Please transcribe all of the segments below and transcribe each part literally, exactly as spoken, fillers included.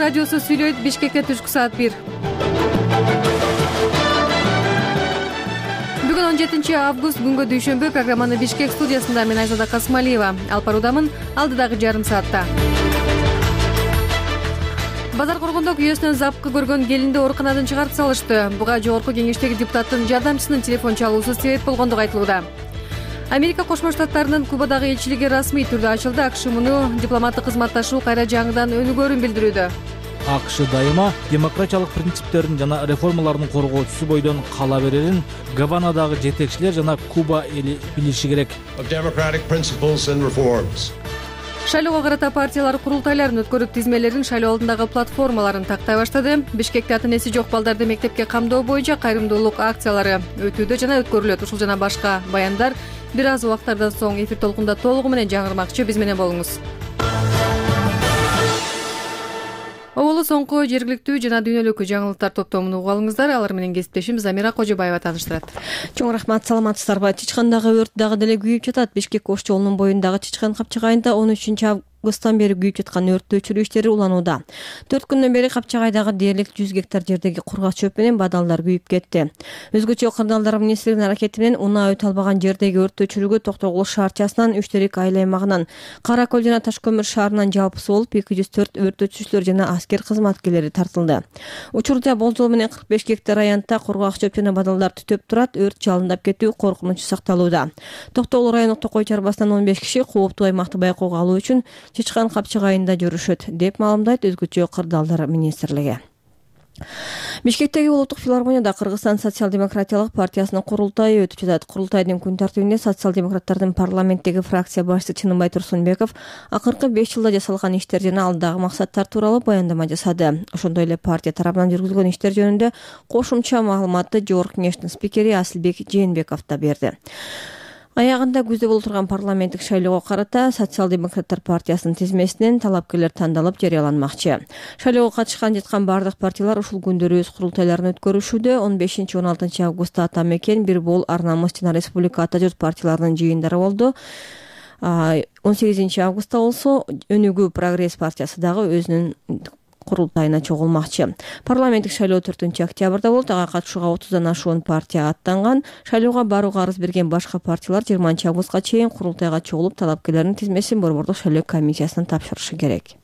радиосу сүйлөйт. Бишкекте түшкү саат бир. Бүгүн он жетинчи август күнгө дүйшөмбү. Программаны Бишкек студиясында мен Айзада Касмалиева алып баруудамын. Алдыдагы жарым саатта. Базар Коргондо күйөөсүнөн запкы көргөн келинди ооруканадан чыгарып салышты. Буга жогорку кеңештеги депутаттын жардамчысынын телефон чалуусу себеп болгондугу айтылууда. Америка Кошмо Штаттарынын Кубадагы элчилиги расмий түрдө ачылды. АКШ муну дипломаттык кызматташуу кайра жаңыдан өнүгөөрүн билдирүүдө. АКШ дайыма демократиялык принциптерин жана реформалардын коргоочусу бойдон кала берерин Гаванадагы жетекчилер жана Куба эли билиши керек. Шайлоого карата партиялар курултайларын өткөрүп, тизмелерин шайлоо алдындагы платформаларын тактай баштады. Бишкекте ата-энеси жок балдарды мектепке камдоо боюнча кайрымдуулук акциялары өтүүдө жана өткөрүлөт. Ушул жана башка баяндар бир аз убактардан соң эфир толкунда толугу менен жаңырмакчы. Биз менен болуңуз. Оболу соңку жергиликтүү жана дүйнөлүк жаңылыктар топтомун угуп алыңыздар. Алар менен кесиптешим Замира Кожобаева тааныштырат. Чоң рахмат, саламатсыздарбы? Чычкандагы өрт дагы деле күйүп жатат. Бишкек Ош жолунун боюндагы Чычкан капчыгайында он үчүнчү августтан бери күйүп жаткан өрттү өчүрүү иштери уланууда. төрт күндөн бери капчыгайдагы дээрлик жүз гектар жердеги кургак чөп менен бадалдар күйүп кетти. Өзгөчө кырдаалдар министрлигинин аракети менен унаа өтө албаган жердеги өрттү өчүрүүгө Токтогул шаарчасынан, Үчтерек айыл аймагынан, Кара Көл жана Таш көмүр шаарынан жалпысы болуп эки жүз төрт өрт өчүүчүлөр жана аскер кызматкерлери тартылды. Учурда болжол менен кырк беш гектар аянтта кургак чөп жана бадалдар түтөп турат. Өрт жалындап кетүү коркунучу сакталууда. Токтогул райондук Токой чарбасынан он беш киши кооптуу аймакты байкоого алуу үчүн Чычкан капчыгайында жүрүшөт, деп маалымдайт өзгөчө кырдаалдар министрлиги. Бишкектеги улуттук филармонияда Кыргызстан социал-демократиялык партиясынын курултайы өтүп жатат. Курултайдын күн тартибинде социал-демократтардын парламенттеги фракция башчысы Чыныбай Турсунбеков акыркы беш жылда жасалган иштер жана алдагы максаттар тууралуу баяндама жасады. Ошондой эле партия тарабынан жүргүзүлгөн иштер жөнүндө кошумча маалыматты жогорку кеңештин спикери Асылбек Жээнбеков да берди. Аягында күздө болуп турган парламенттик шайлоого карата социал-демократтар партиясынын тизмесинен талапкерлер тандалып жарыяланмакчы. Шайлоого катышкан жаткан бардык партиялар ушул күндөрү өз курултайларын өткөрүшүүдө. он бешинчи он алтынчы августта Ата Мекен, Бир Бол, Ар Намыс жана Республика Ата Журт партияларынын жыйындары болду. он сегизинчи августта болсо Өнүгүү Прогресс партиясы дагы өзүнүн курултайына чогулмакчы. Парламенттик шайлоо төртүнчү октябрда болот. Ага катышууга отуздан ашуун партия аттанган. Шайлоого барууга арыз берген башка партиялар жыйырманчы августка чейин курултайга чогулуп, талапкерлердин тизмесин Борбордук шайлоо комиссиясына тапшырышы керек.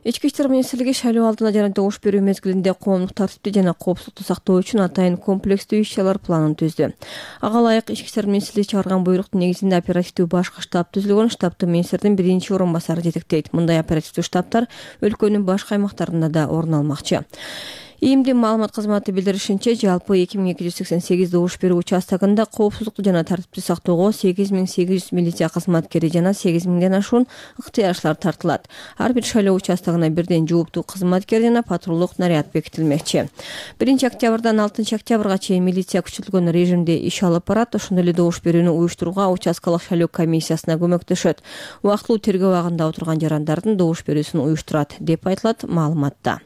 Ички иштер министрлиги шайлоо алдына жана добуш берүү мезгилинде коомдук тартипти жана коопсуздукту сактоо үчүн атайын комплекстүү иш-чаралар планын түздү. Ага ылайык Ички иштер министрлиги чыгарган буйруктун негизинде оперативдүү башкы штаб түзүлгөн. Штабты министрдин биринчи орун басары жетектейт. Мындай оперативдүү штабтар өлкөнүн башка аймактарында да орун алмакчы. ИИМдин маалымат кызматы билдиришинче, жалпы эки миң эки жүз сексен сегиз добуш берүү участогунда коопсуздукту жана тартипти сактоого сегиз миң сегиз жүз милиция кызматкери жана сегиз миңден ашуун ыктыярчылар тартылат. Ар бир шайлоо участогуна бирден жооптуу кызматкер жана патрулдук наряд бекитилмекчи. биринчи октябрдан алтынчы октябрга чейин милиция күчөтүлгөн режимде иш алып барат. Ошондой эле добуш берүүнү уюштурууга участкалык шайлоо комиссиясына көмөктөшөт. Убактылуу тергөө абагында отурган жарандардын добуш берүүсүн уюштурат, деп айтылат маалыматта.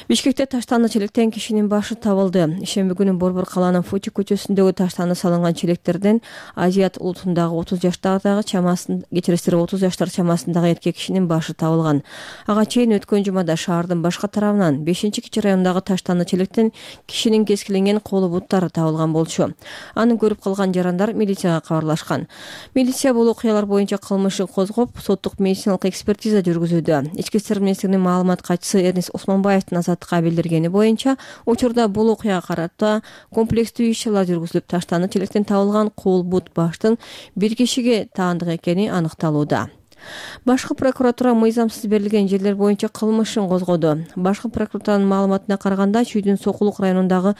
Бишкекте таштанды челектен кишинин башы табылды. Ишемби күнү Борбор калаанын Фути көчөсүндөгү таштанды салынган челектерден Азият улутундагы отуз жаштагы чамасын кечиресиздер отуз жаштар чамасындагы эркек кишинин башы табылган. Ага чейин өткөн жумада шаардын башка тарабынан бешинчи кичи райондагы таштанды челектен кишинин кескиленген колу буттары табылган болчу. Аны көрүп калган жарандар милицияга кабарлашкан. Милиция бул окуялар боюнча кылмышты козгоп, соттук медициналык экспертиза жүргүзүүдө. Ички иштер министрлигинин маалымат катчысы Эрнис Осмонбаевдин азаттыкка билдиргени боюнча, учурда бул окуяга карата комплекстүү иш-чаралар жүргүзүлүп, таштанды челектен табылган кол, бут, баштын бир кишиге таандык экени аныкталууда. Башкы прокуратура мыйзамсыз берилген жерлер боюнча кылмышын козгоду. Башкы прокуратуранын маалыматына караганда, Чүйдүн Сокулук районундагы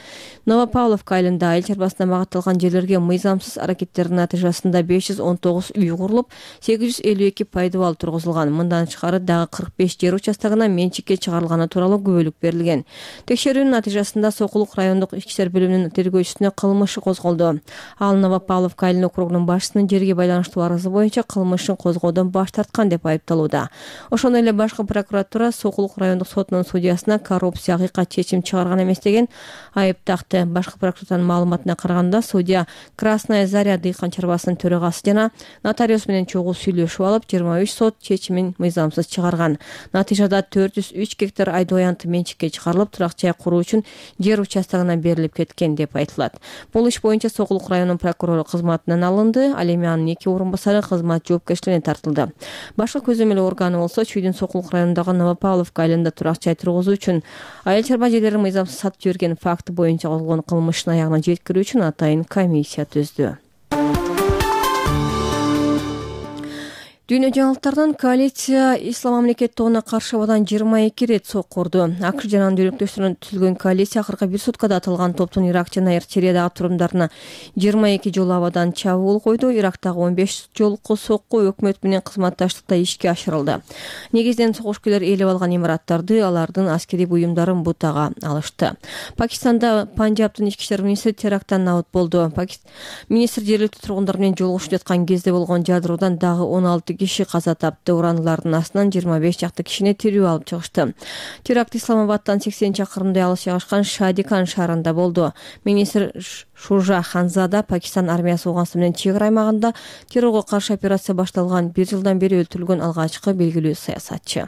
Новопавловка айылында айыл чарбасына багытталган жерлерге мыйзамсыз аракеттердин натыйжасында беш жүз он тогуз үй курулуп, сегиз жүз элүү эки пайдыбал тургузулган. Мындан тышкары дагы кырк беш жер участогуна менчикке чыгарылганы тууралуу күбөлүк берилген. Текшерүүнүн натыйжасында Сокулук райондук ички иштер бөлүмүнүн тергөөчүсүнө кылмышы козголду. Ал Новопавловка айылынын округунун башчысынын жерге байланыштуу арызы боюнча кылмышын козгоодон баш тарткан деп айыпталууда. Ошондой эле башкы прокуратура Сокулук райондук сотунун судьясына коррупция акыйкат чечим чыгарган эмес деген айып такты. Башкы прокуратуранын маалыматына караганда, судья Красная Заря дыйкан чарбасынын төрагасы жана нотариус менен чогуу сүйлөшүп алып, жыйырма үч сот чечимин мыйзамсыз чыгарган. Натыйжада төрт жүз үч гектар айдоо аянты менчикке чыгарылып, турак жай куруу үчүн жер участогуна берилип кеткен деп айтылат. Бул иш боюнча Сокулук районунун прокурору кызматынан алынды, ал эми анын эки орун басары кызмат жоопкерчилигине тартылды. Башкы көзөмөл органы болсо Чүйдүн Сокулук районундагы Новопавловка айылында турак жай тургузуу үчүн айыл чарба жерлерин мыйзамсыз сатып жиберген факты боюнча козголгон кылмыштын аягына жеткирүү үчүн атайын комиссия түздү. Дүйнө жаңылыктардан коалиция Ислам мамлекет тобуна каршы абадан жыйырма эки ирет сокку урду. АКШ жана анын дөөлөктөштөрүнөн түзүлгөн коалиция акыркы бир суткада аталган топтун Ирак жана Сириядагы турумдарына жыйырма эки жолу абадан чабуул койду. Ирактагы он беш жолку сокку өкмөт менен кызматташтыкта ишке ашырылды. Негизинен согуш күйлөр ээлеп алган имараттарды, алардын аскерий буюмдарын бутага алышты. Пакистанда Панжабтын ички иштер министри теракттан набыт болду. Министр жергиликтүү тургундар менен жолугушуп жаткан кезде болгон жадыроодан дагы он алты киши каза тапты. Урандылардын астынан жыйырма беш чакты кишини тирүү алып чыгышты. Теракт Исламабадтан сексен чакырымдай алыс жайгашкан Шадикан шаарында болду. Министр Шужа Ханзада Пакистан армиясы Афганистан менен чек ара аймагында террорго каршы операция башталган бир жылдан бери өлтүрүлгөн алгачкы белгилүү саясатчы.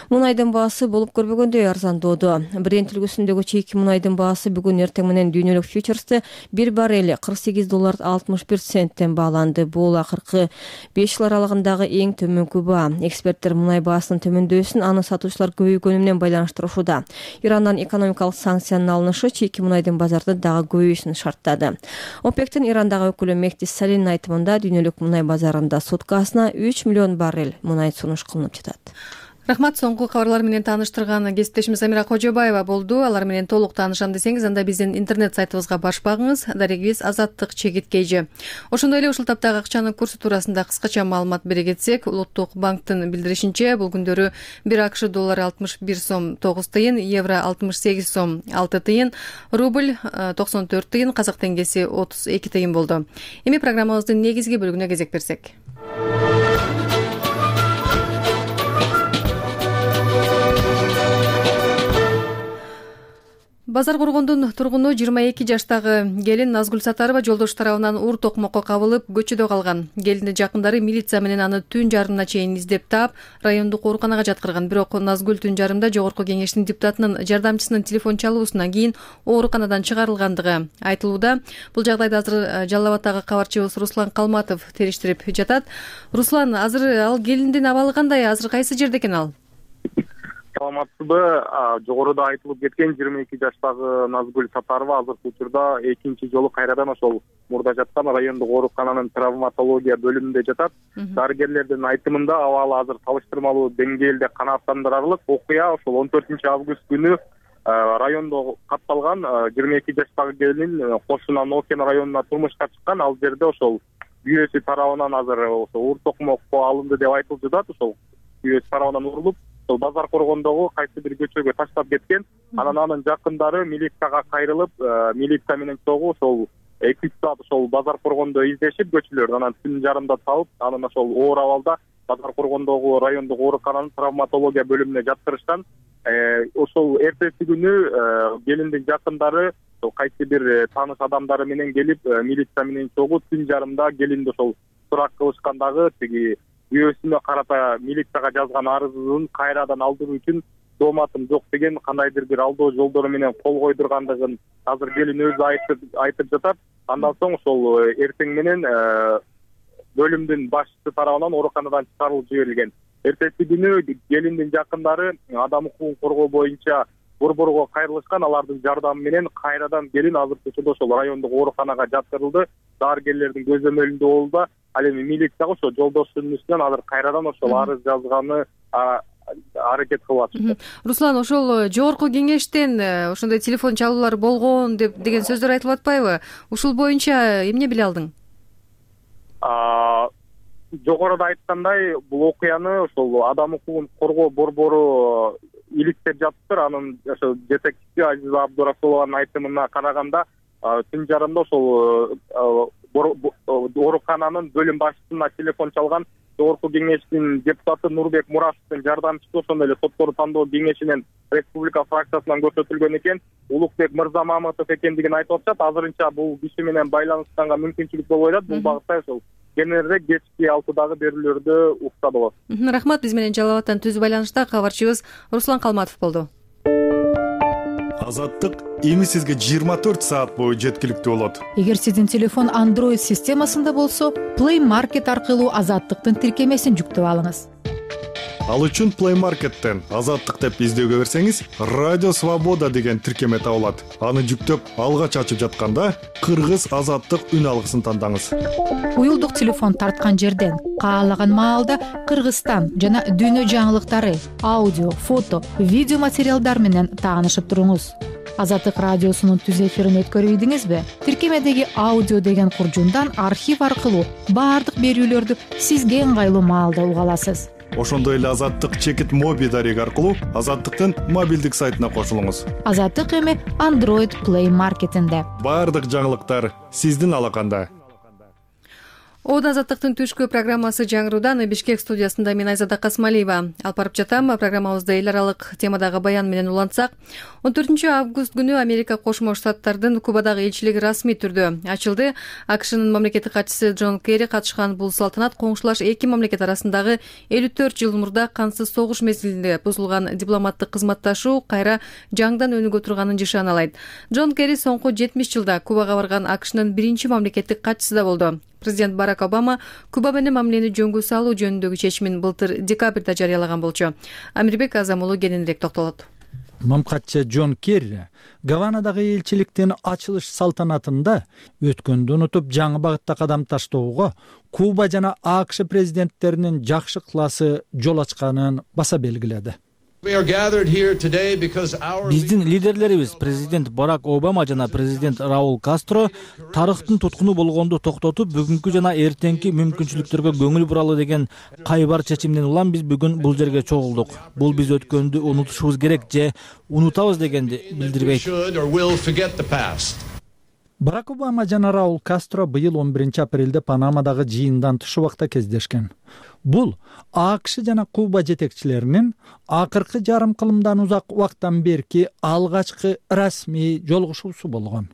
Мунайдын баасы болуп көрбөгөндөй арзандоодо. Брент үлгүсүндөгү чейки мунайдын баасы бүгүн эртең менен дүйнөлүк фьючерсте бир баррели кырк сегиз доллар алтымыш бир центтен бааланды. Бул акыркы беш жыл аралыгындагы эң төмөнкү баа. Эксперттер мунай баасынын төмөндөсүн аны сатуучулар көбөйгөнү менен байланыштырышууда. Ирандан экономикалык санкциянын алынышы чейки мунайдын базарда дагы көбөйүшүн шарттады. ОПЕКтин Ирандагы өкүлү Мехди Салинин айтымында дүйнөлүк мунай базарында суткасына үч миллион баррель мунай сунуш кылынып жатат. Рахмат, соңку кабарлар менен тааныштырган кесиптешimiz Амира Кожобаева болду. Алар менен толук таанышам десеңиз, анда биздин интернет сайтыбызга барып багыңыз. Дарегибиз Азаттык чегиткейжи. Ошондой эле ушул таптагы акчанын курсу туурасында кыскача маалымат бере кетсек, Улуттук банктын билдиришинче, бул күндөрү бир АКШ доллары алтымыш бир сом тогуз тыйын, евро алтымыш сегиз сом алты тыйын, рубль токсон төрт тыйын, казак теңгеси отуз эки тыйын болду. Эми программабыздын негизги бөлүгүнө кезек берсек. Базар Коргондун тургуну жыйырма эки жаштагы келин Назгүл Сатарова жолдош тарабынан уур токмокко кабылып, көчөдө калган. Келиндин жакындары милиция менен аны түн жарымына чейин издеп таап, райондук ооруканага жаткырган. Бирок Назгүл түн жарымда жогорку кеңештин депутатынын жардамчысынын телефон чалуусунан кийин ооруканадан чыгарылгандыгы айтылууда. Бул жагдайды азыр Жалал Абадтагы кабарчыбыз Руслан Калматов териштирип жатат. Руслан, азыр ал келиндин абалы кандай? Азыр кайсы жерде экен ал? Саламатсызбы? Жогоруда айтылып кеткен жыйырма эки жаштагы Назгүл Сатарова азыркы учурда экинчи жолу кайрадан ошол мурда жаткан райондук оорукананын травматология бөлүмүндө жатат. Дарыгерлердин айтымында абалы азыр салыштырмалуу деңгээлде канааттандырарлык. Окуя ошол он төртүнчү август күнү райондо катталган. жыйырма эки жаштагы келин Кошуна Нокен районуна турмушка чыккан. Ал жерде ошол күйөөсү тарабынан азыр уур токмокко алынды деп айтылып жатат. Ошол күйөөсү тарабынан урулуп, ошол Базар Коргондогу кайсы бир көчөгө таштап кеткен. Анан анын жакындары милицияга кайрылып, милиция менен чогуу ошол эки үч саат ошол Базар Коргондо издешип, көчөлөрдү анан түн жарымда табып, анын ошол оор абалда Базар Коргондогу райондук оорукананын травматология бөлүмүнө жаткырышкан. Ошол эртеси күнү келиндин жакындары кайсы бир тааныш адамдары менен келип, милиция менен чогуу түн жарымда келинди ошол сурак кылышкандагы тиги күйөөсүнө карата милицияга жазган арызын кайрадан алдыруу үчүн дооматым жок деген кандайдыр бир алдоо жолдору менен кол койдургандыгын азыр келин өзү айтып айтып жатат. Андан соң ошол эртең менен бөлүмдүн башчысы тарабынан ооруканадан чыгарылып жиберилген. Эртеси күнү келиндин жакындары адам укугун коргоо боюнча борборго кайрылышкан. Алардын жардамы менен кайрадан келин азыркы учурда ошол райондук ооруканага жаткырылды. Дарыгерлердин көзөмөлүндө болду. Ал эми милицияга ошо жолдошунун үстүнөн азыр кайрадан ошол арыз жазганы аракет кылып атышты. Руслан, ошол жогорку кеңештен ошондой телефон чалуулар болгон деп деген сөздөр айтылып атпайбы? Ушул боюнча эмне биле алдың? Жогоруда айткандай, бул окуяны ошол адам укугун коргоо борбору иликтеп жатыптыр. Анын ошо жетекчиси Азиза Абдурасулованын айтымына караганда, түн жарымда ошол оорукананын бөлүм башчысына телефон чалган. Жогорку кеңештин депутаты Нурбек Мурашевдин жардамчысы ошондой эле соттор тандоо кеңешинин республика фракциясынан көрсөтүлгөн экен. Улукбек Мырзамаматов экендигин айтып атышат. Азырынча бул киши менен байланышканга мүмкүнчүлүк болбой атат. Бул багытта ошол кененирээк кечки алтыдагы берүүлөрдү укса болот. Рахмат. Биз менен Жалал абадтан түз байланышта кабарчыбыз Руслан Калматов болду. Азаттык эми сизге жыйырма төрт саат бою жеткиликтүү болот. Эгер сиздин телефон Android системасында болсо, Play Market аркылуу Азаттыктын тиркемесин жүктөп алыңыз. Ал үчүн Play Market'тен Азаттык деп издөөгө берсеңиз, Радио Свобода деген тиркеме табылат. Аны жүктөп, алгач ачып жатканда Кыргыз Азаттык үн алгысын тандаңыз. Уюлдук телефон тарткан жерден каалаган маалда Кыргызстан жана дүйнө жаңылыктары, аудио, фото, видео материалдар менен таанышып туруңуз. Азаттык радиосунун түз эфирин өткөрүп ийдиңизби? Тиркемедеги аудио деген куржундан архив аркылуу баардык берүүлөрдү сизге ыңгайлуу маалда уга аласыз. Ошондой эле Азаттык чекит моби дареги аркылуу Азаттыктын мобилдик сайтына кошулуңуз. Азаттык эми Android Play Market'инде. Баардык жаңылыктар сиздин алаканда. Ода Азаттыктын түшкү программасы жаңыруудан Бишкек студиясында мен Айзада Касмалиева алып барып жатам. Программабызда эл аралык темадагы баян менен улантсак, он төртүнчү август күнү Америка Кошмо Штаттардын Кубадагы элчилиги расмий түрдө ачылды. АКШнын мамлекеттик катчысы Джон Керри катышкан бул салтанат коңшулаш эки мамлекет арасындагы элүү төрт жыл мурда кансыз согуш мезгилинде бузулган дипломаттык кызматташуу кайра жаңдан өнүгө турганын жашаналайт. Джон Керри соңку жетимиш жылда Кубага барган АКШнын биринчи мамлекеттик катчысы да болду. Президент Барак Обама Куба менен мамилени жөнгө салуу жөнүндөгү чечимин былтыр декабрда жарыялаган болчу. Амирбек Азамулу кененирээк токтолот. Мамкатчы Джон Керри Гаванадагы элчиликтин ачылыш салтанатында өткөндү унутуп жаңы багытта кадам таштоого Куба жана АКШ президенттеринин жакшы ыкыласы жол ачканын баса белгиледи. Биздин лидерлерибиз президент Барак Обама жана президент Раул Кастро тарыхтын туткуну болгонду токтотуп, бүгүнкү жана эртеңки мүмкүнчүлүктөргө көңүл буралы деген кайбар чечимден улам биз бүгүн бул жерге чогулдук. Бул биз өткөндү унутушубуз керек же унутабыз дегенди билдирбейт. Барак Обама жана Раул Кастро быйыл он биринчи апрелде Панамадагы жыйындан туш убакта кездешкен. Бул АКШ жана Куба жетекчилеринин акыркы жарым кылымдан узак убакыттан берки алгачкы расмий жолугушуусу болгон.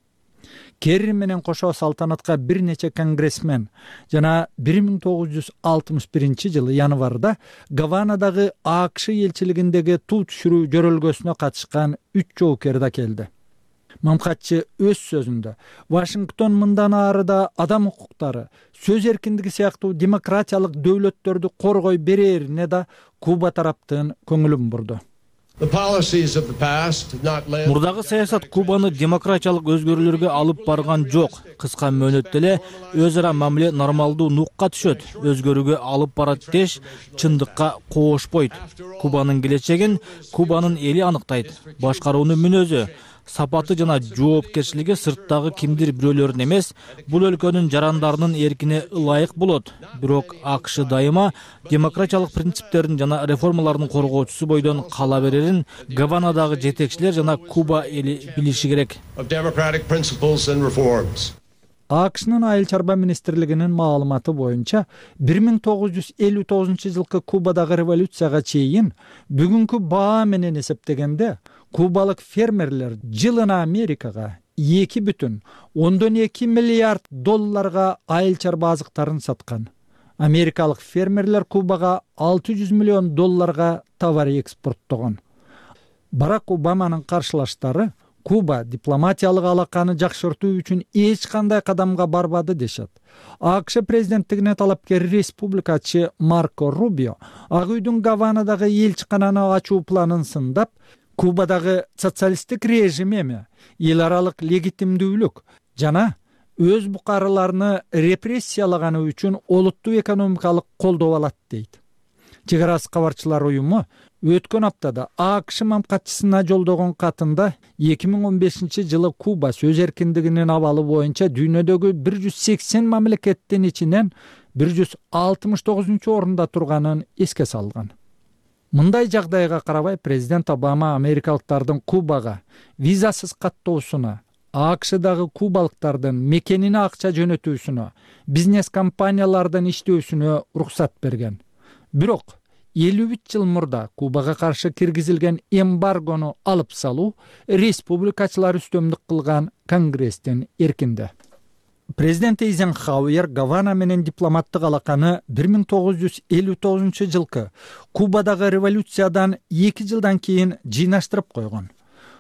Керри менен кошо салтанатка бир нече конгрессмен жана бир миң тогуз жүз алтымыш биринчи жылы январда Гаванадагы АКШ элчилигиндеги туу түшүрүү жөрөлгөсүнө катышкан үч жоокер да келди. Мамкатчы өз сөзүндө Вашингтон мындан ары да адам укуктары, сөз эркиндиги сыяктуу демократиялык дөөлөттөрдү коргой берерине да Куба тараптын көңүлүн бурду. Мурдагы саясат Кубаны демократиялык өзгөрүүлөргө алып барган жок. Кыска мөөнөттө эле өз ара мамиле нормалдуу нукка түшөт. Өзгөрүүгө алып барат деш чындыкка коошпойт. Кубанын келечегин Кубанын эли аныктайт. Башкаруунун мүнөзү, сапаты жана жоопкерчилиги сырттагы кимдир бирөөлөрдүн эмес, бул өлкөнүн жарандарынын эркине ылайык болот. Бирок АКШ дайыма демократиялык принциптердин жана реформалардын коргоочусу бойдон кала берерин Гаванадагы жетекчилер жана Куба эли билиши керек. АКШнын айыл чарба министрлигинин маалыматы боюнча бир миң тогуз жүз элүү тогузунчу жылкы Кубадагы революцияга чейин бүгүнкү баа менен эсептегенде кубалык фермерлер жылына Америкага эки бүтүн ондон эки миллиард долларга айыл чарба азыктарын саткан. Америкалык фермерлер Кубага алты жүз миллион долларга товар экспорттогон. Барак Обаманын каршылаштары Куба дипломатиялык алаканы жакшыртуу үчүн эч кандай кадамга барбады дешет. АКШ президенттигине талапкер республикачы Марко Рубио Ак үйдүн Гаванадагы элчикананы ачуу планын сындап, Кубадагы социалисттик режим эми эл аралык легитимдүүлүк жана өз букарыларыны репрессиялаганы үчүн олуттуу экономикалык колдоо алат дейт. Чек ара кабарчылар уюму өткөн аптада АКШ мамкатчысына жолдогон катында эки миң он бешинчи жылы Куба сөз эркиндигинин абалы боюнча дүйнөдөгү бир жүз сексен мамлекеттин ичинен бир жүз алтымыш тогузунчу орунда турганын эске салган. Мындай жагдайга карабай президент Обама америкалыктардын Кубага визасыз каттоосуна акшдагы кубалыктардын мекенине акча жөнөтүүсүнө, бизнес компаниялардан иштөөсүнө уруксат берген. Бирок элүү үч жыл мурда Кубага каршы киргизилген эмбаргону алып салуу республикачылар үстөмдүк кылган Конгресстин эркинде. Президент Эйзенхауэр Гавана менен дипломаттык алаканы бир миң тогуз жүз элүү тогузунчу жылкы Кубадагы революциядан эки жылдан кийин жыйнаштырып койгон.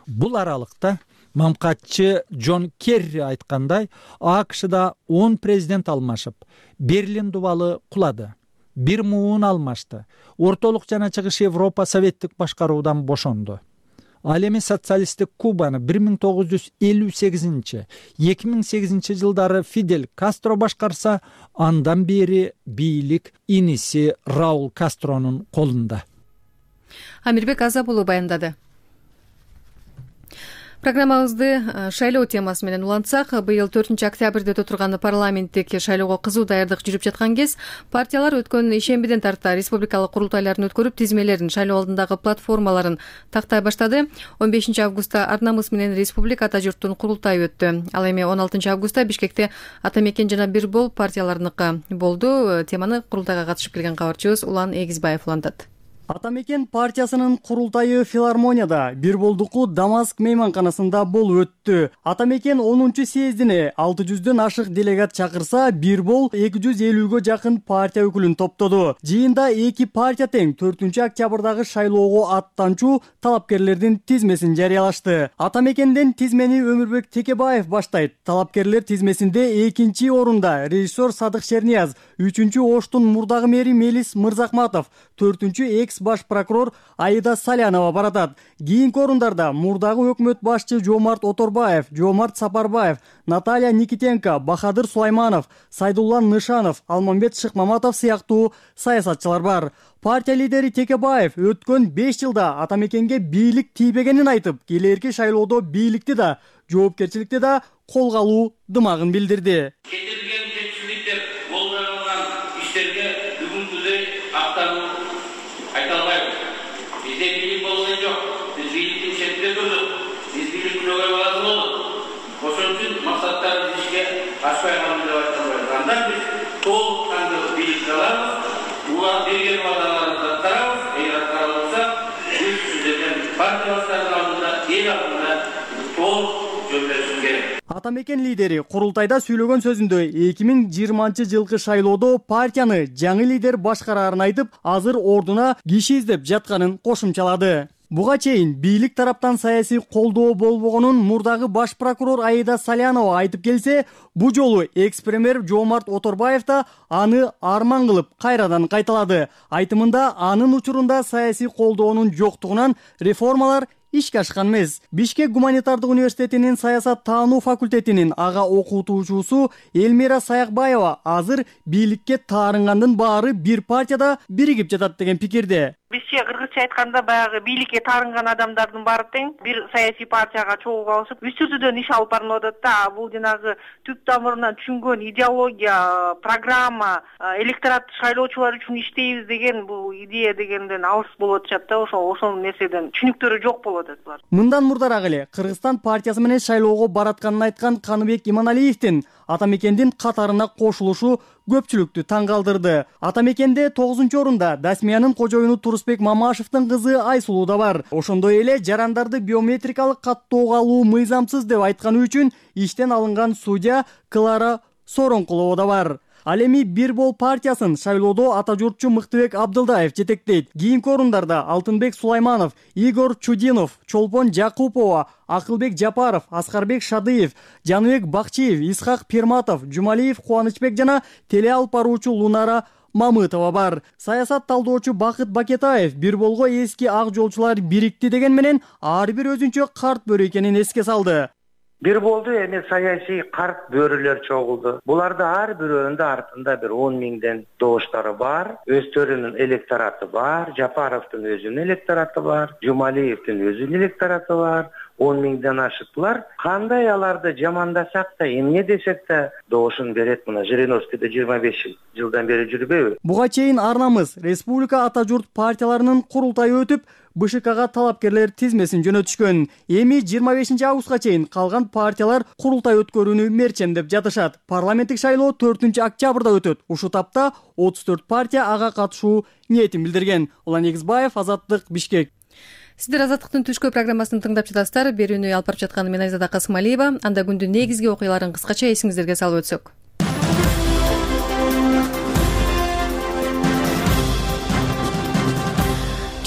Бул аралыкта мамкатчы Джон Керри айткандай, АКШда он президент алмашып, Берлин дубалы кулады. Бир муун алмашты. Ортолук жана Чыгыш Европа советтик башкаруудан бошонду. Ал эми социалисттик Кубаны бир миң тогуз жүз элүү сегизинчи эки миң сегизинчи жылдары Фидель Кастро башкарса, андан бери бийлик иниси Раул Кастронун колунда. Амирбек Азабулов баяндады. Программабызды шайлоо темасы менен улантсак, быйыл төртүнчү октябрда өтө турган парламенттик шайлоого кызуу даярдык жүрүп жаткан кез, партиялар өткөн ишембиден тарта республикалык курултайларын өткөрүп, тизмелерин, шайлоо алдындагы платформаларын тактай баштады. он бешинчи августта ар намыс менен республика ата журттун курултайы өттү. Ал эми он алтынчы августта Бишкекте Ата мекен жана Бир бол партияларыныкы болду. Теманы курултайга катышып келген кабарчыбыз Улан Эгизбаев улантат. Ата мекен партиясынын курултайы филармонияда, Бир болдуку Дамаск мейманканасында болуп өттү. Ата мекен онунчу съездине алты жүздөн ашык делегат чакырса, Бир бол эки жүз элүүгө жакын партия өкүлүн топтоду. Жыйында эки партия тең төртүнчү октябрдагы шайлоого аттанчу талапкерлердин тизмесин жарыялашты. Ата мекенден тизмени Өмүрбек Текебаев баштайт. Талапкерлер тизмесинде экинчи орунда режиссер Садык Шернияз, үчүнчү Оштун мурдагы мэри Мелис Мырзахматов, төртүнчү экс баш прокурор Аида Салянова баратат. Кийинки орундарда мурдагы өкмөт башчы Жомарт Оторбаев, Жомарт Сапарбаев, Наталья Никитенко, Бахадыр Сулайманов, Сайдулла Нышанов, Алмамбет Шыкмаматов сыяктуу саясатчылар бар. Партия лидери Текебаев өткөн беш жылда ата мекенге бийлик тийбегенин айтып, келерки шайлоодо бийликти да, жоопкерчиликти да колго алуу дымагын билдирди. Ата мекен лидери курултайда сүйлөгөн сөзүндө эки миң жыйырманчы жылкы шайлоодо партияны жаңы лидер башкарарын айтып, азыр ордуна киши издеп жатканын кошумчалады. Буга чейин бийлик тараптан саясий колдоо болбогонун мурдагы баш прокурор Аида Салянова айтып келсе, бу жолу экс-премьер Жомарт Оторбаев да аны арман кылып кайрадан кайталады. Айтымында анын учурунда саясий колдоонун жоктугунан реформалар ишке ашкан эмес. Бишкек гуманитардык университетинин саясат таануу факультетинин ага окутуучусу Элмира Саякбаева азыр бийликке таарынгандын баары бир партияда биригип жатат деген пикирде. Бизче кыргызча айтканда баягы бийликке таарынган адамдардын баары тең бир саясий партияга чогуу алышып үч түрдөн иш алып барылып атат да. Бул жанагы түп тамырынан түшүнгөн идеология, программа, электорат шайлоочулар үчүн иштейбиз деген бул идея дегенден алыс болуп атышат да. Ошол ошол нерседен түшүнүктөрү жок болуп атат булар. Мындан мурдараак эле Кыргызстан партиясы менен шайлоого баратканын айткан Каныбек Иманалиевдин ата мекендин катарына кошулушу көпчүлүктү таң калтырды. Ата мекенде тогузунчу орунда Дасмиянын кожоюну Турусбек Мамашевдин кызы Айсулуу да бар. Ошондой эле жарандарды биометрикалык каттоого алуу мыйзамсыз деп айтканы үчүн иштен алынган судья Клара Соронкулова да бар. Ал эми Бир бол партиясын шайлоодо ата журтчу Мыктыбек Абдылдаев жетектейт. Кийинки орундарда Алтынбек Сулайманов, Игорь Чудинов, Чолпон Жакупова, Акылбек Жапаров, Аскарбек Шадыев, Жаныбек Бакчиев, Исхак Пирматов, Жумалиев Кубанычбек жана теле алып баруучу Лунара Мамытова бар. Саясат талдоочу Бакыт Бакетаев Бир болго эски ак жолчулар бирикти деген менен ар бир өзүнчө карт бөрү экенин эске салды. Бир болду эми саясий карт бөрүлөр чогулду. Буларды ар бирөөнүн артында бир он миңден добуштары бар, өздөрүнүн электораты бар, Жапаровдун өзүнүн электораты бар, Жумалиевдин өзүнүн электораты бар, он миңден ашыктылар. Кандай аларды жамандасак да, эмне десек да добушун берет. Мына Жириновскийде жыйырма беш жылдан бери жүрбөйбү? Буга чейин арнамыз республика ата журт партияларынын курултайы өтүп, БШКга талапкерлер тизмесин жөнөтүшкөн. Эми жыйырма бешинчи августка чейин калган партиялар курултай өткөрүүнү мерчемдеп жатышат. Парламенттик шайлоо төртүнчү октябрда өтөт. Ушул тапта отуз төрт партия ага катышуу ниетин билдирген. Улан Эгизбаев, Азаттык, Бишкек. Сиздер Азаттыктын түшкө программасын тыңдап жатасыздар. Берүүнү алып барып жатканы мен Айзада Касымалиева. Анда күндүн негизги окуяларын кыскача эсиңиздерге салып өтсөк.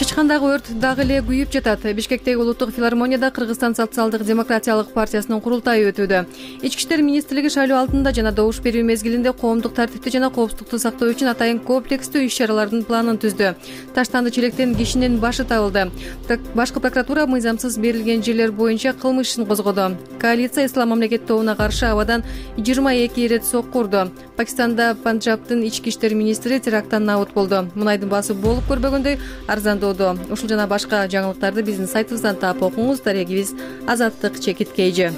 Чычкандагы өрт дагы эле күйүп жатат. Бишкектеги улуттук филармонияда Кыргызстан социалдык демократиялык партиясынын курултайы өтүүдө. Ички иштер министрлиги шайлоо алдында жана добуш берүү мезгилинде коомдук тартипти жана коопсуздукту сактоо үчүн атайын комплекстүү иш-чаралардын планын түздү. Таштанды челектен кишинин башы табылды. Башкы прокуратура мыйзамсыз берилген жерлер боюнча кылмыш ишин козгоду. Коалиция ислам мамлекет тобуна каршы абадан жыйырма эки ирет сокку урду. Пакистанда Панджабтын ички иштер министри теракттан набыт болду. Мунайдын баасы болуп көрбөгөндөй арзандоодо. Ушул жана башка жаңылыктарды биздин сайтыбыздан таап окуңуз. Дарегибиз Азаттык чекиткейжи.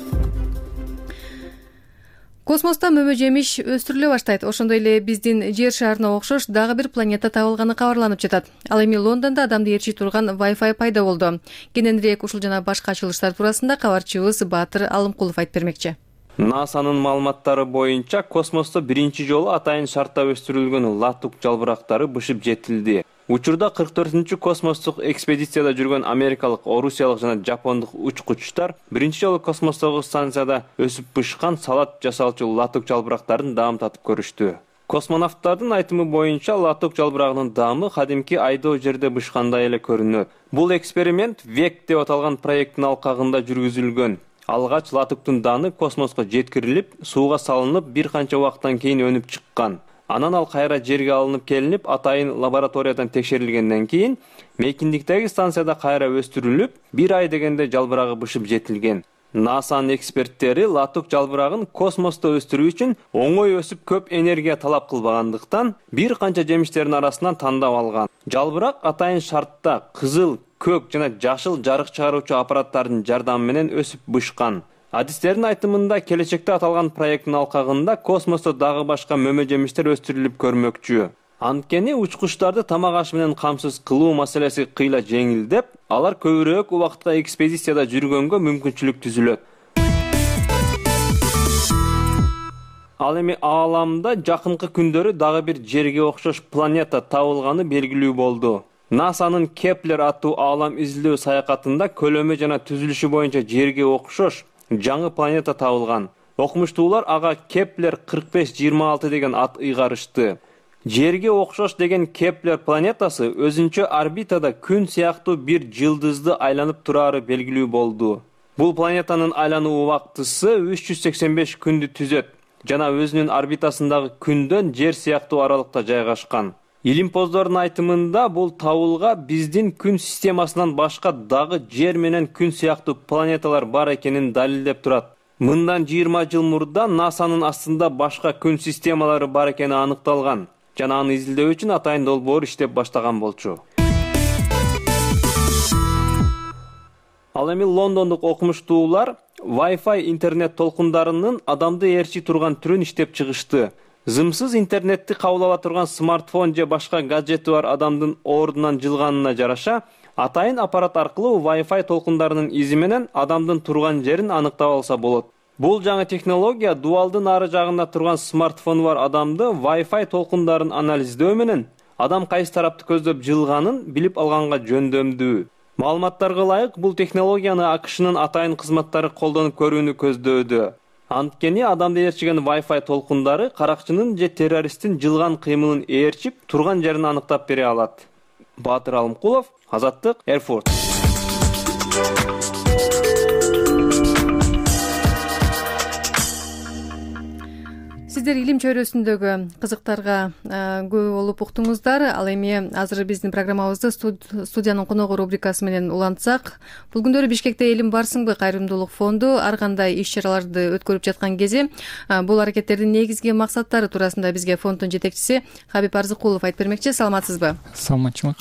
Космоста мөмө жемиш өстүрүлө баштайт. Ошондой эле биздин жер шарына окшош дагы бир планета табылганы кабарланып жатат. Ал эми Лондондо адамды ээрчи турган Wi-Fi пайда болду. Кененирээк ушул жана башка ачылыштар туурасында кабарчыбыз Баатыр Алымкулов айтып бермекчи. НАСАнын маалыматтары боюнча космосто биринчи жолу атайын шартта өстүрүлгөн латук жалбырактары бышып жетилди. Учурда кырк төртүнчү космостук экспедицияда жүргөн америкалык, орусиялык жана жапондук учкучтар биринчи жолу космостогу станцияда өсүп бышкан салат жасалчу латук жалбырактарын даам татып көрүштү. Космонавттардын айтымы боюнча латук жалбырагынын даамы кадимки айдоо жерде бышкандай эле көрүнөт. Бул эксперимент век деп аталган проекттин алкагында жүргүзүлгөн. Алгач латуктун дааны космоско жеткирилип, сууга салынып, бир канча убакыттан кийин өнүп чыккан. Анан ал кайра жерге алынып келинип, атайын лабораториядан текшерилгенден кийин мейкиндиктеги станцияда кайра өстүрүлүп, бир ай дегенде жалбырагы бышып жетилген. НАСАнын эксперттери латук жалбырагын космосто өстүрүү үчүн оңой өсүп көп энергия талап кылбагандыктан бир канча жемиштердин арасынан тандап алган. Жалбырак атайын шартта кызыл, көк жана жашыл жарык чыгаруучу аппараттардын жардамы менен өсүп бышкан. Адистердин айтымында келечекте аталган проекттин алкагында космосто дагы башка мөмө жемиштер өстүрүлүп көрмөкчү. Анткени учкучтарды тамак аш менен камсыз кылуу маселеси кыйла жеңилдеп, алар көбүрөөк убакытка экспедицияда жүргөнгө мүмкүнчүлүк түзүлөт. Ал эми ааламда жакынкы күндөрү дагы бир жерге окшош планета табылганы белгилүү болду. НАСАнын Кеплер аттуу аалам изилдөө саякатында көлөмү жана түзүлүшү боюнча жерге окшош жаңы планета табылган. Окумуштуулар ага Кеплер кырк беш жыйырма алты деген ат ыйгарышты. Жерге окшош деген Кеплер планетасы өзүнчө орбитада күн сыяктуу бир жылдызды айланып турары белгилүү болду. Бул планетанын айлануу убактысы үч жүз сексен беш күндү түзөт жана өзүнүн орбитасындагы күндөн жер сыяктуу аралыкта жайгашкан. Илимпоздордун айтымында бул табылга биздин күн системасынан башка дагы жер менен күн сыяктуу планеталар бар экенин далилдеп турат. Мындан жыйырма жыл мурда НАСАнын астында башка күн системалары бар экени аныкталган жана аны изилдөө үчүн атайын долбоор иштеп баштаган болчу. Ал эми лондондук окумуштуулар Wi-Fi интернет толкундарынын адамды ээрчи турган түрүн иштеп чыгышты. Зымсыз интернетти кабыл ала турган смартфон же башка гаджети бар адамдын ордунан жылганына жараша, атайын аппарат аркылуу Wi-Fi толкундарынын изи менен адамдын турган жерин аныктап алса болот. Бул жаңы технология дуалдын ары жагында турган смартфону бар адамды Wi-Fi толкундарын анализдөө менен адам кайсы тарапты көздөп жылганын билип алганга жөндөмдүү. Маалыматтарга ылайык, бул технологияны АКШнын атайын кызматтары колдонуп көрүүнү көздөөдө. Анткени адамды ээрчиген Wi-Fi толкундары каракчынын же террористтин жылган кыймылын ээрчип, турган жерин аныктап бере алат. Баатыр Алымкулов, Азаттык, Эрфурт. сиздер илим чөйрөсүндөгү кызыктарга көп болуп уктуңуздар. Ал эми азыр биздин программабызды студиянын коногу рубрикасы менен улантсак, бул күндөрү Бишкекте Элим барсыңбы кайрымдуулук фонду ар кандай иш чараларды өткөрүп жаткан кези бул аракеттердин негизги максаттары туурасында бизге фонддун жетекчиси Хабиб Арзыкулов айтып бермекчи. Саламатсызбы? Саламатчымын.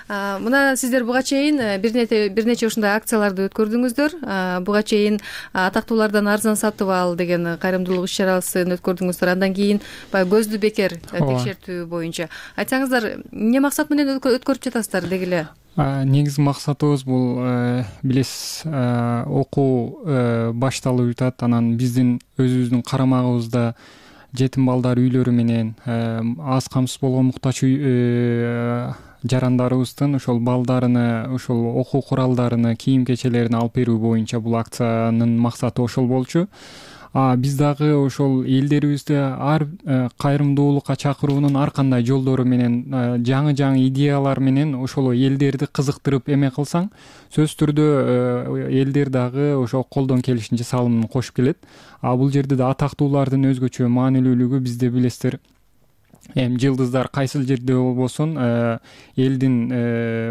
Мына сиздер буга чейин бир нече ушундай акцияларды өткөрдүңүздөр. Буга чейин атактуулардан арзан сатып ал деген кайрымдуулук иш чарасын өткөрдүңүздөр. Андан кийин баягы көздү бекер текшертүү боюнча. Айтсаңыздар, эмне максат менен өткөрүп жатасыздар деги эле? Негизги максатыбыз бул, билесиз, окуу башталып жатат. Анан биздин өзүбүздүн карамагыбызда жетим балдар үйлөрү менен аз камсыз болгон муктач жарандарыбыздын ошол балдарыны, ошол окуу куралдарыны, кийим кечелерин алып берүү боюнча бул акциянын максаты ошол болчу. Биз дагы ошол элдерибизди ар кайрымдуулукка чакыруунун ар кандай жолдору менен, жаңы жаңы идеялар менен ошол элдерди кызыктырып эме кылсаң, сөзсүз түрдө элдер дагы ошол колдон келишинче салымын кошуп келет. А бул жерде да атактуулардын өзгөчө маанилүүлүгү, бизде билесиздер, эми жылдыздар кайсыл жерде болбосун элдин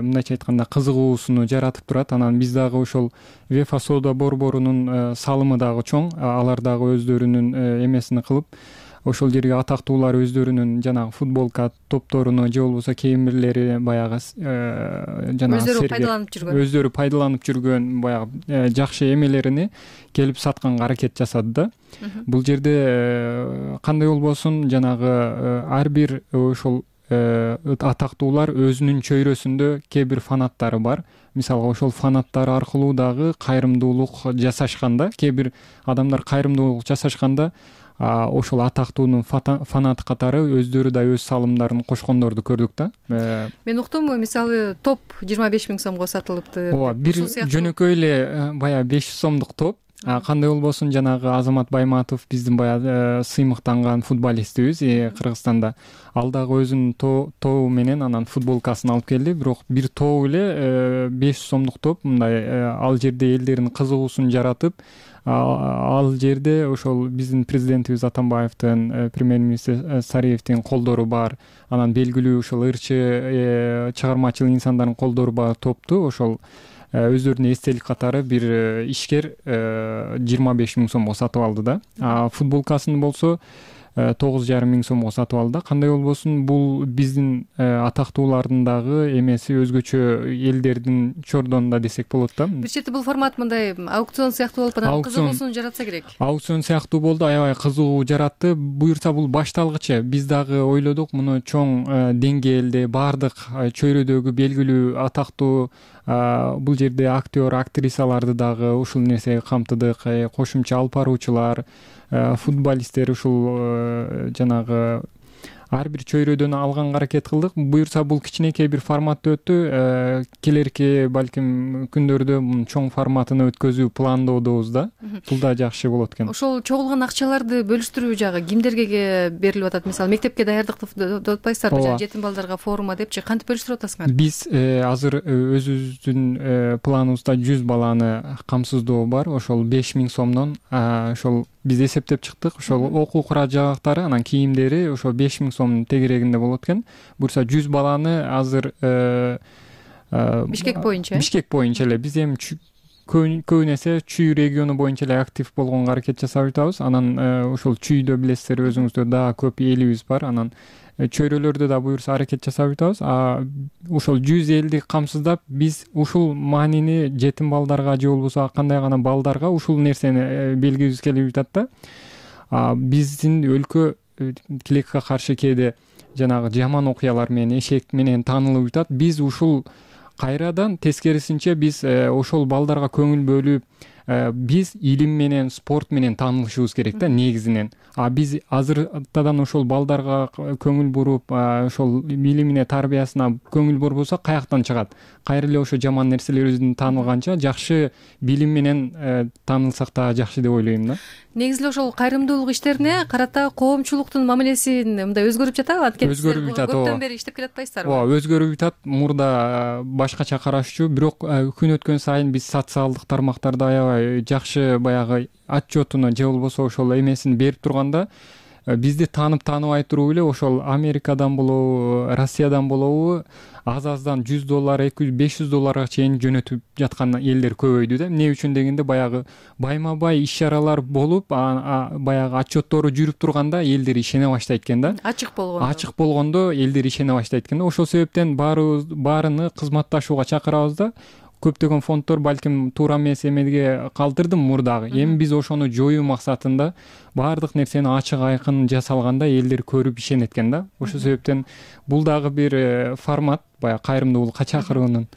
мындайча айтканда кызыгуусуну жаратып турат. Анан биз дагы ошол Вефа соода борборунун салымы дагы чоң. Алар дагы өздөрүнүн эмесин кылып, ошол жерге атактуулар өздөрүнүн жанагы футболка топторуну же болбосо кийим бирлери баягы жанагы өздөрү пайдаланып жүргөн өздөрү пайдаланып жүргөн баягы жакшы эмелерини келип сатканга аракет жасады да. Бул жерде кандай болбосун, жанагы ар бир ошол атактуулар өзүнүн чөйрөсүндө кээ бир фанаттары бар. Мисалга ошол фанаттар аркылуу дагы кайрымдуулук жасашканда, кээ бир адамдар кайрымдуулук жасашканда ошол атактуунун фанаты катары өздөрү да өз салымдарын кошкондорду көрдүк да. Мен уктум, мисалы топ жыйырма беш миң сомго сатылыпты. Ооба, бир жөнөкөй эле баягы беш жүз сомдук топ. Кандай болбосун, жанагы Азамат Байматов биздин баягы сыймыктанган футболистибиз Кыргызстанда. Ал дагы өзүнүн тобу менен анан футболкасын алып келди. Бирок бир топ эле беш жүз сомдук топ, мындай ал жерде элдердин кызыгуусун жаратып, ал жерде ошол биздин президентибиз Атамбаевдин, премьер-министр Сариевдин колдору бар. Анан белгилүү ошол ырчы чыгармачыл инсандардын колдору бар топту ошол өздөрүнүн эстелик катары бир ишкер жыйырма беш миң сомго сатып алды да. А футболкасын болсо тогуз жарым миң сомго сатып алды. Кандай болбосун, бул биздин атактуулардын дагы эмеси өзгөчө элдердин чордонунда десек болот да. Бир чети бул формат мындай аукцион сыяктуу болуп анан кызыгуусун жаратса керек. Аукцион сыяктуу болду, аябай кызыгуу жаратты. Буюрса бул башталгычы. Биз дагы ойлодук, муну чоң деңгээлде баардык чөйрөдөгү белгилүү атактуу бул жерде актер, актрисаларды дагы ушул нерсеге камтыдык. Кошумча алып баруучулар, футболисттер ушул жанагы ар бир чөйрөдөн алганга аракет кылдык. Буюрса бул кичинекей бир форматта өттү. Келерки балким күндөрдө чоң форматын өткөзүү пландоодобуз да. Бул да жакшы болот экен. Ошол чогулган акчаларды бөлүштүрүү жагы кимдерге берилип атат? Мисалы мектепке даярдыкты деп атпайсыздарбы, жана жетим балдарга форумга депчи кантип бөлүштүрүп атасыңар? Биз азыр өзүбүздүн планыбызда жүз баланы камсыздоо бар. Ошол беш миң сомдон ошол биз эсептеп чыктык. Ошол окуу курал-жабдыктары, анан кийимдери ошол беш миң сомдун тегерегинде болот экен. Буюрса жүз баланы азыр Бишкек боюнча Бишкек боюнча эле биз эми көбүн эсе Чүй региону боюнча эле актив болгонго аракет жасап жатабыз. Анан ошол Чүйдө билесиздер, өзүңүздөр дагы көп элибиз бар. Анан чөйрөлөрдө да буюрса аракет жасап жатабыз. А ошол жүз элди камсыздап, биз ушул маанини жетим балдарга же болбосо кандай гана балдарга ушул нерсени белгибиз келип жатат да. Биздин өлкө тилекке каршы кээде жанагы жаман окуялар менен, эшек менен таанылып жатат. Биз ушул кайрадан тескерисинче биз ошол балдарга көңүл бөлүп, биз илим менен, спорт менен таанылышыбыз керек да негизинен. А биз азыртадан ошол балдарга көңүл буруп, ошол билимине, тарбиясына көңүл бурбосок каяктан чыгат? Кайра эле ошо жаман нерселерибиздин таанылганча жакшы билим менен таанылсак да жакшы деп ойлойм да. Негизи эле ошол кайрымдуулук иштерине карата коомчулуктун мамилесин мындай өзгөрүп жатабы? Анткени өзгөрүп жатат. Көптөн бери иштеп келатпайсыздарбы? Ооба, өзгөрүп жатат. Мурда башкача карашчу, бирок күн өткөн сайын биз социалдык тармактарда аябай жакшы баягы отчетуну же болбосо ошол эмесин берип турганда, бизди таанып тааныбай туруп эле ошол Америкадан болобу, Россиядан болобу аз аздан жүз доллар, эки жүз, беш жүз долларга чейин жөнөтүп жаткан элдер көбөйдү да. Эмне үчүн дегенде баягы байма бай иш чаралар болуп, баягы отчеттору жүрүп турганда элдер ишене баштайт экен да. Ачык болгондо. Ачык болгондо элдер ишене баштайт экен да. Ошол себептен баарыбыз баарыны кызматташууга чакырабыз да. Көптөгөн фонддор балким туура эмес эмеге калтырдым мурдагы. Эми биз ошону жоюу максатында баардык нерсени ачык айкын жасалганда элдер көрүп ишенет экен да. Ошол себептен бул дагы бир формат, баягы кайрымдуулукка чакыруунун.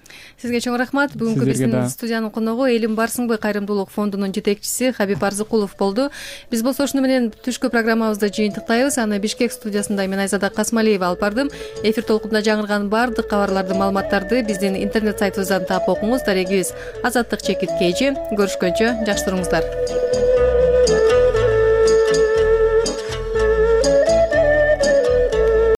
Сизге чоң рахмат. Бүгүнкү биздин студиянын коногу Элим Барсыңбы кайрымдуулук фондунун жетекчиси Хабиб Арзыкулов болду. Биз болсо ушуну менен түшкү программабызды жыйынтыктайбыз. Аны Бишкек студиясында мен Айзада Касмалиева алып бардым. Эфир толкунда жаңырган баардык кабарларды, маалыматтарды биздин интернет сайтыбыздан таап окуңуз. Дарегибиз Азаттык чекит кей же. Көрүшкөнчө жакшы туруңуздар.